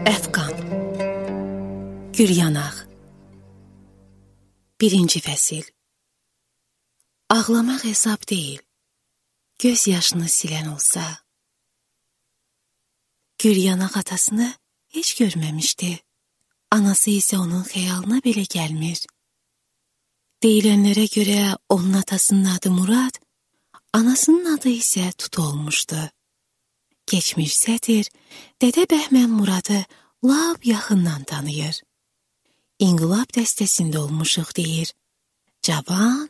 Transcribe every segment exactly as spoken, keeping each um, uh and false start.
Əfqan Gülyanaq Birinci fəsil. Ağlamaq hesab deyil, göz yaşını silən olsa. Gülyanaq atasını heç görməmişdi, anası isə onun xəyalına belə gəlmir. Deyilənlərə görə onun atasının adı Murad, anasının adı isə Tut olmuşdu. Keçmiş sətir, Dədə Bəhmən Muradı lap yaxından tanıyır. İnqilab dəstəsində olmuşuq deyir. Cavan,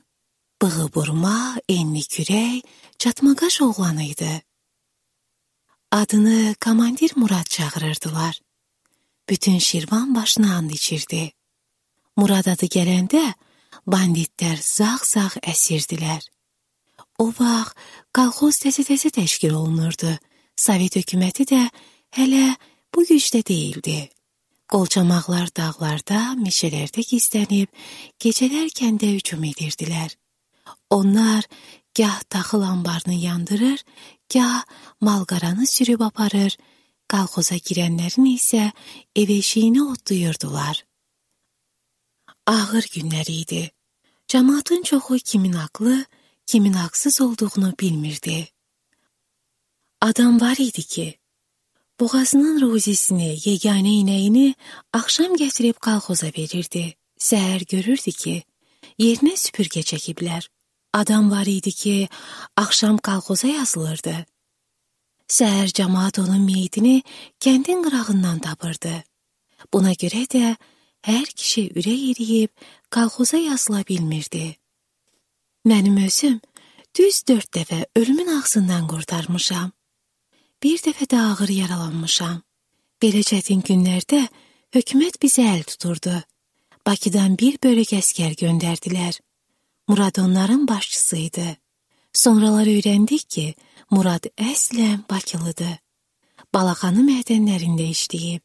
bığı burma, enli kürək, çatmaqaş oğlan idi. Adını Komandir Murad çağırırdılar. Bütün Şirvan başına and içirdi. Murad adı gələndə banditlər zağ-zağ əsirdilər. O vaxt kolxoz təzə-təzə təşkil olunurdu. Sovet hökuməti də hələ bu gücdə deyildi. Qolçamaqlar dağlarda, meşələrdə gizlənib, gecələr kəndə hücum edirdilər. Onlar gah taxıl anbarını yandırır, gah malqaranı sürüb aparır, kolxoza girənlərin isə ev eşiyini otlayırdılar. Ağır günlər idi. Cəmaatın çoxu kimin haqlı, kimin haqsız olduğunu bilmirdi. Adam var idi ki, boğazının ruzisini, yeganə inəyini axşam gətirib kolxoza verirdi. Səhər görürdü ki, yerinə süpürgə çəkiblər. Adam var idi ki, axşam kolxoza yazılırdı. Səhər cəmaat onun meyitini kəndin qırağından tapırdı. Buna görə də hər kişi ürək eriyib kolxoza yazıla bilmirdi. Mənim özüm düz dörd dəfə ölümün ağzından qurtarmışam. Bir dəfə də ağır yaralanmışam. Belə çətin günlərdə hökumət bizə əl tuturdu. Bakıdan bir bölük əskər göndərdilər. Murad onların başçısıydı. Sonralar öyrəndik ki, Murad əslən Bakılıdır. Balaxanı mədənlərində işləyib.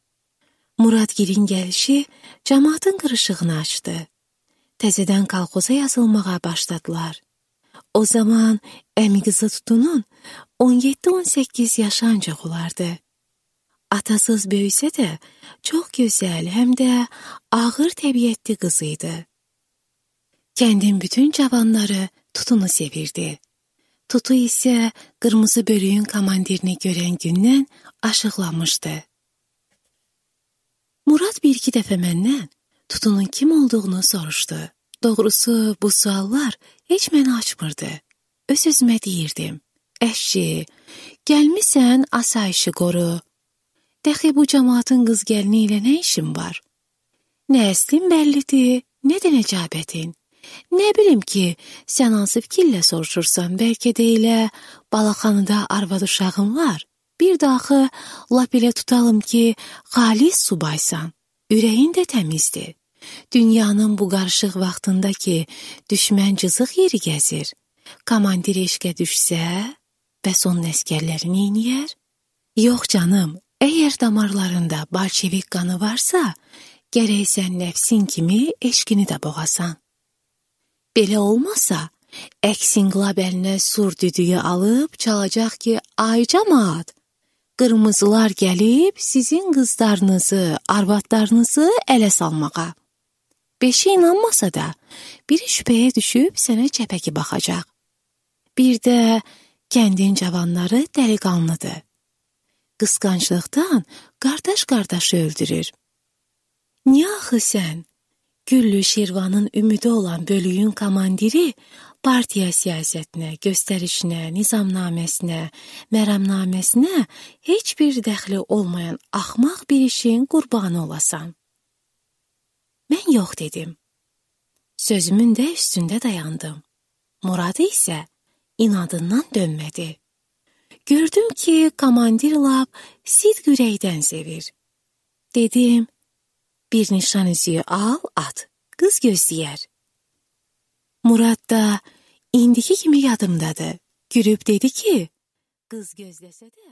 Muradgilin gəlişi cəmaatın qırışığını açdı. Təzədən kolxoza yazılmağa başladılar. O zaman əmi qızı Tutunun on yeddi on səkkiz yaşı ancaq olardı. Atasız böyüsə də çox gözəl, həm də ağır təbiətli qız idi. Kəndin bütün cavanları Tutunu sevirdi. Tutu isə qırmızı bölüyün komandirini görən gündən aşıqlanmışdı. Murad bir-iki dəfə məndən Tutunun kim olduğunu soruşdu. Doğrusu bu suallar heç məni açmırdı. Öz-özümə deyirdim. Əşşi, gəlmisən asayişi qoru. Dəxi bu cəmaatın qız gəlini ilə nə işin var? Nə əslin bəllidir, nə də nəcabətin. Nə bilim ki, sən hansı fikirlə soruşursan, bəlkə də elə Balaxanıda arvad uşağın var. Bir də axı lap elə tutalım ki, xalis subaysan, ürəyin də təmizdir. Dünyanın bu qarışıq vaxtında ki, düşmən cızıq yeri gəzir. Komandir eşqə düşsə, bəs onun əskərləri neyniyər? Yox canım, əgər damarlarında bolşevik qanı varsa, gərək sən nəfsin kimi eşqini də boğasan. Belə olmasa, əks inqilab əlinə sur düdüyü alıb çalacaq ki, ay cəmaat, qırmızılar gəlib sizin qızlarınızı, arvadlarınızı ələ salmağa. Beşi inanmasa da, biri şübhəyə düşüb sənə çəpəki baxacaq. Bir də kəndin cavanları dəliqanlıdır. Qısqanclıqdan qardaş-qardaşı öldürür. Niyə axı sən, Güllü Şirvanın ümidi olan bölüyün komandiri partiya siyasətinə, göstərişinə, nizamnaməsinə, məramnaməsinə heç bir dəxli olmayan axmaq bir işin qurbanı olasan? Mən yox dedim. Sözümün də üstündə dayandım. Muradı isə inadından dönmədi. Gördüm ki, komandir lap sidq ürəkdən sevir. Dedim, bir nişan üzüyü al, at, qız gözləyər. Murad da indiki kimi yadımdadır. Gülüb dedi ki, qız gözləsə də